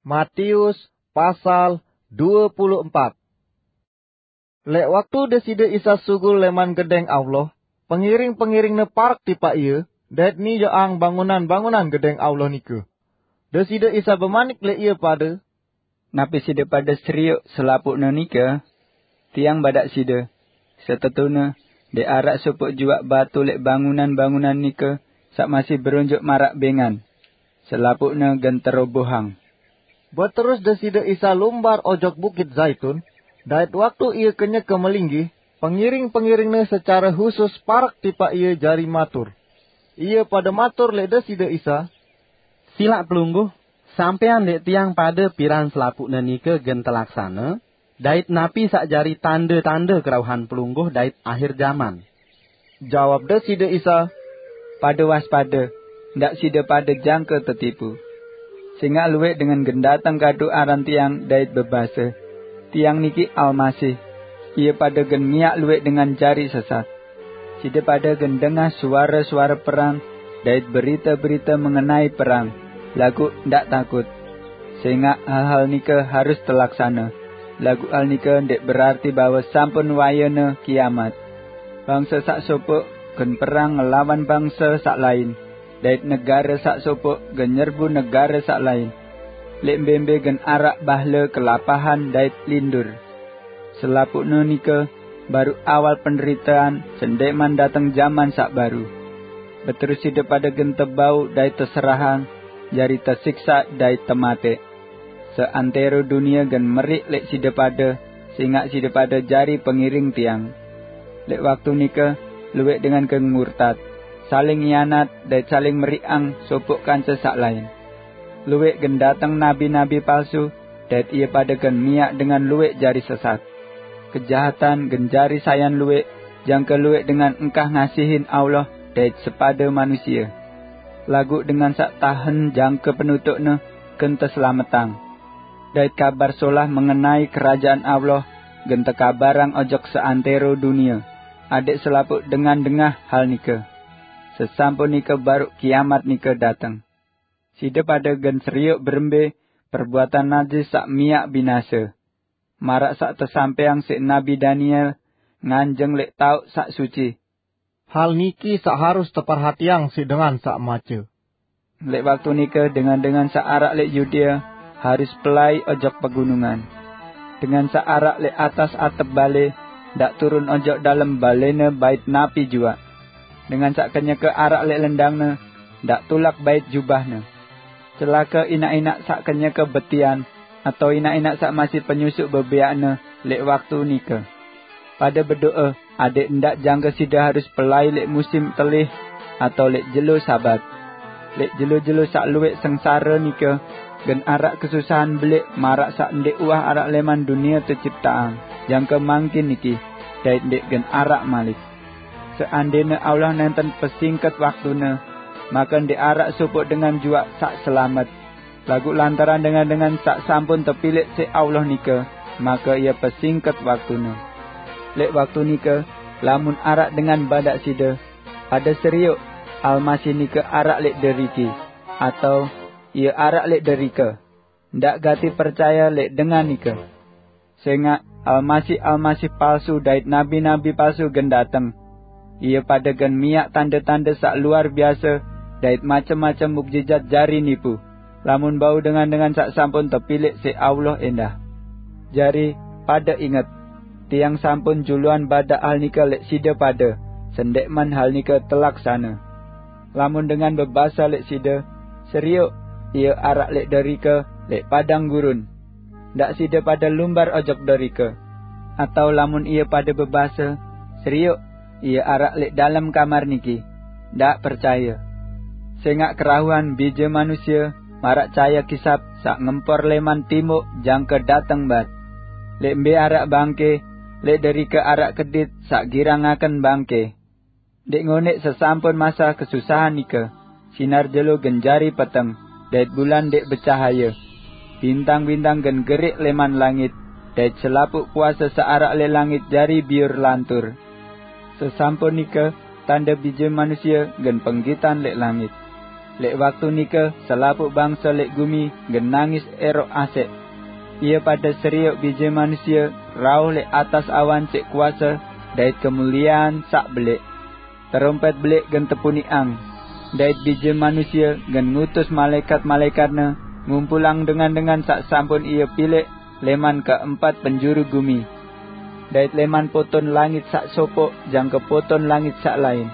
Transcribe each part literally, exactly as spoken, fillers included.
Matius pasal dua puluh empat. Lek waktu Deside Isa sugul leman gedeng Allah, pengiring-pengiringne parek tipaq Ie, dait nijoqang bangunan-bangunan gedeng Allah nike. Deside Isa bemanik leq ie pade, "Napi side pade serioq selapuqne nike? Tiang badaq side, setetune ndeq araq sopoq juaq batu leq bangunan-bangunan nike saq masih beronjoq maraq bengan. Selapuqne gen terobohang." Beterus Deside Isa lumbar ojok Bukit Zaitun, dait waktu Ie kenyeke melinggih, pengiring-pengiringne secare husus parek tipaq Ie jari matur. Ie pade matur leq Deside Isa, "Silaq Pelungguh, sampean leq tiang pade piran selapuqne nike gen telaksane, dait napi saq jari tande-tande kerauhan Pelungguh dait ahir jaman?" Jawab Deside Isa, "Pade waspade, ndaq side pade jangke tetipu. Sengaq lueq dengan gen dateng kadu aran Tiang dait bebase, 'Tiang niki Almasih,' ie pade gen miaq lueq dengan jari sesat. Side pade gen dengah suare-suare perang dait berite-berite mengenai perang, laguq ndaq takut. Sengaq hal-hal nike harus telaksane, laguq hal nike ndeq berarti bahwe sampun wayene kiamat. Bangse saq sopoq gen perang ngelawan bangse saq lain, dait negare saq sopoq gen nyerbu negare saq lain. Leq mbe-mbe gen araq bahle kelapahan dait lindur. Selapuqne nike baruq awal penderitean sendeqman dateng jaman saq baru. Beterus side pade gen tebau dait teserahang, jari tesiksa dait temateq. Seantero dunie gen meriq leq side pade, sengaq side pade jari pengiring Tiang. Leq waktu nike, lueq dengan gen murtat, saling ngianat dait saling meriqang sopoq kance saq lain. Lueq gen dateng nabi-nabi palsu, dait ie pade gen miaq dengan lueq jari sesat. Kejahatan gen jari sayan lueq, jangke lueq dengan engkah ngasihin Allah dait sepade manusie. Laguq dengan saq tahen jangke penutuqne gen teselametang. Dait Kabar Solah mengenai Kerajaan Allah gen tekabarang ojok seantero dunie, adeq selapuq dengan dengah hal nike. Sesampun nike baruq kiamat nike dateng. Side pade gen serioq berembe perbuatan najis saq miaq binase, maraq saq tesampeyang siq Nabi Daniel nganjeng leq taoq saq suci. Hal niki saq harus teperhatiang siq dengan saq mace. Leq waktu nike dengan-dengan saq araq leq Yudea harus pelai ojok pegunungan. Dengan saq araq leq atas atep bale ndaq turun ojok dalem balene bait napi juaq. Dengan saq kenyeke araq leq lendangne ndaq tulak bait jubahne. Celake inaq-inaq saq kenyeke betian atau inaq-inaq saq masih penyusuq bebeaqne leq waktu nike. Pade bedoe adeq ndaq jangke side harus pelai leq musim telih atau leq jelo Sabat. Leq jelo-jelo saq lueq sengsare nike gen araq kesusahan beleq maraq saq ndeq uwah araq leman dunie tecipteang jangke mangkin niki, dait ndeq gen araq malik. Seandene Allah nenten pesingket waktune, make ndeq araq sopoq dengan juaq saq selamet. Laguq lantaran dengan-dengan saq sampun tepilek siq Allah nike, make ie pesingket waktune. Leq waktu nike, lamun araq dengan badaq side, "Pade serioq, Almasih nike araq leq deriki," atau, "Ie araq leq derike," ndaq gati percaye leq dengan nike. Sengaq almasih-almasih palsu dait nabi-nabi palsu gen dateng. Ie pade gen miaq tande-tande saq luar biase dait macem-macem mukjijat jari nipu, lamun bau dengan-dengan saq sampun tepilek siq Allah endah. Jari, pade inget, tiang sampun juluan badaq hal nike leq side pade, sendekman hal nike telaksane. Lamun dengan bebase leq side, "Serioq, ie araq leq derike, leq padang gurun," ndaq side pade lumbar ojok derike. Atau lamun ie pade bebase, "Serioq, ie araq leq dalem kamar niki," ndaq percaye. Sengaq kerauhan Bije Manusie maraq cahaye kisap saq ngempor leman timuq jangke dateng bat. Leq mbe araq bangke, leq derike araq kedit saq girangaken bangke. Ndeq ngoneq sesampun masa kesusahan nike, sinar jelo gen jari peteng, dait bulan ndeq becahaye. Bintang-bintang gen geriq leman langit, dait selapuq kuase saq araq leq langit jari biur lantur. Sesampun nike, tande Bije Manusie gen penggitan leq langit. Lek waktu nika, selapuq bangsa lek gumi gen nangis erok asek. Ia pada seriuk Bije Manusia rauh lek atas awan cek kuasa dait kemuliaan sak belik. Terompet belik gen tepuniang, dait Bije Manusia gen ngutus malaikat-malaikatne ngumpulang dengan-dengan sak sampun ia pilek leman keempat penjuru gumi, dait leman poton langit sak sopok jangke poton langit sak lain.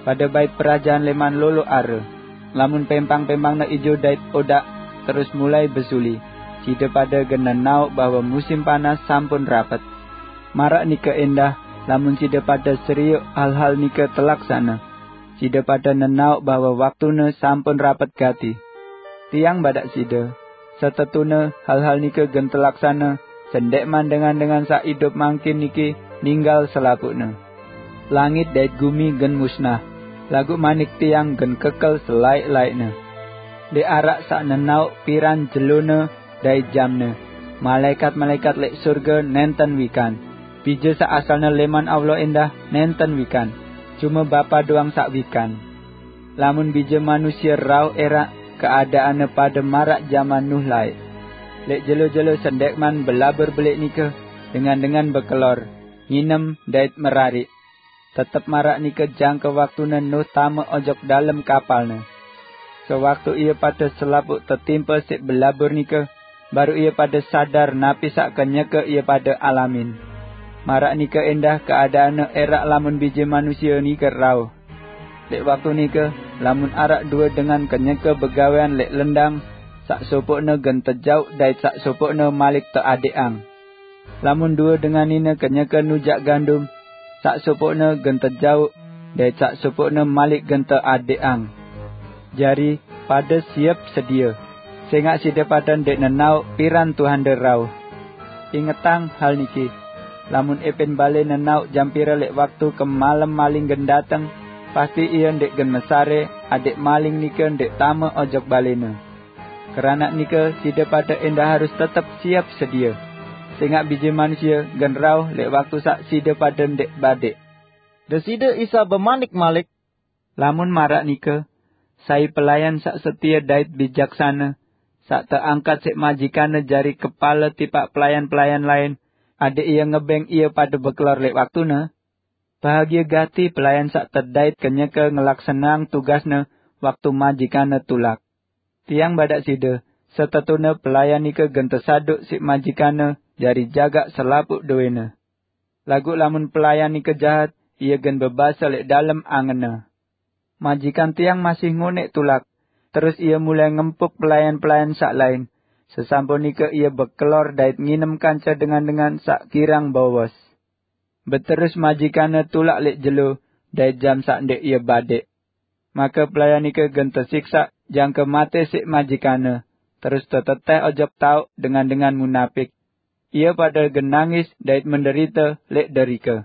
Pada bait perajan leman lolo are. Lamun pempang-pempangne ijo dait odak, terus mulai besuli, side pada gen nenauk bahwa musim panas sampun rapet. Marak nika endah, lamun side pada seriuk hal-hal nika telaksana, side pada nenauk bahwa waktune sampun rapet gati. Tiang badak side, setetune hal-hal nika gen telaksana, sendekman dengan-dengan sak idup mangkin niki ninggal selapukne. Langit dait gumi gen musnah, laguq manik tiang gen kekel selaik-laikne. Ndeq araq saq nenauk piran jelone dait jamne. Malaikat-malaikat leq surge nenten wikan. Bije saq asalne leman Allah endah nenten wikan. Cume Bapa doang saq wikan. Lamun Bije Manusia rauh eraq, keadaanne pade maraq jaman Nuh laeq. Leq jelo-jelo sendekman belabur belik nike, dengan-dengan bekelor, nginem dait merariq. Tetep maraq nike jangke waktune Nuh tame ojok dalem kapalne. Sewaktu ie pade selapuq tetimpe siq belabur nike, baruq ie pade sadar napi saq kenyeke ie pade alamin. Maraq nike endah keadaanne eraq lamun Bije Manusia nike rauh. Leq waktu nike, lamun araq due dengan kenyeke begawean leq lendang, saq sopoqne gen tejauq dait saq sopoqne malik teadeqang. Lamun due dengan nine kenyeke nujak gandum, saq sopoqne gen tejauq, dait saq sopoqne malik gen teadeqang. Jari, pade siep sedie, sengaq side pade ndeq nenaoq piran Tuhande rauh. Ingetang hal niki, lamun epin bale nenaoq jam pire leq waktu kemalem maling gen dateng, pasti ie ndeq gen mesare adeq maling nike ndeq tame ojok balene. Keranaq nike, side pade endah harus tetep siep sedie, sengaq Bije Manusie gen rauh leq waktu saq side pade ndeq badeq. Deside Isa bemanik malik, "Lamun maraq nike, sai pelayan saq setie dait bijaksane, saq teangkat siq majikanne jari kepale tipaq pelayan-pelayan lain, adeq ie ngebeng ie pade bekelor leq waktune? Bahagie gati pelayan saq tedait kenyeke ngelaksaneang tugasne waktu majikanne tulak. Tiang badak side, setetune pelayan nike gen tesaduq siq majikanne jari jagaq selapuq dowene. Laguq lamun pelayan nike jahat, ie gen bebase leq dalem angenne, 'Majikan tiang masih ngoneq tulak.' Terus ie mulai ngempuk pelayan-pelayan saq lain. Sesampun nike ie bekelor dait nginem kance dengan-dengan saq girang bowos. Beterus majikanne tulak leq jelo dait jam saq ndeq ie badeq. Make pelayan nike gen tesiksaq jangke mate siq majikanne, terus teteteh ojok taoq dengan-dengan munapik. Ie pade gen nangis dait menderite leq derike."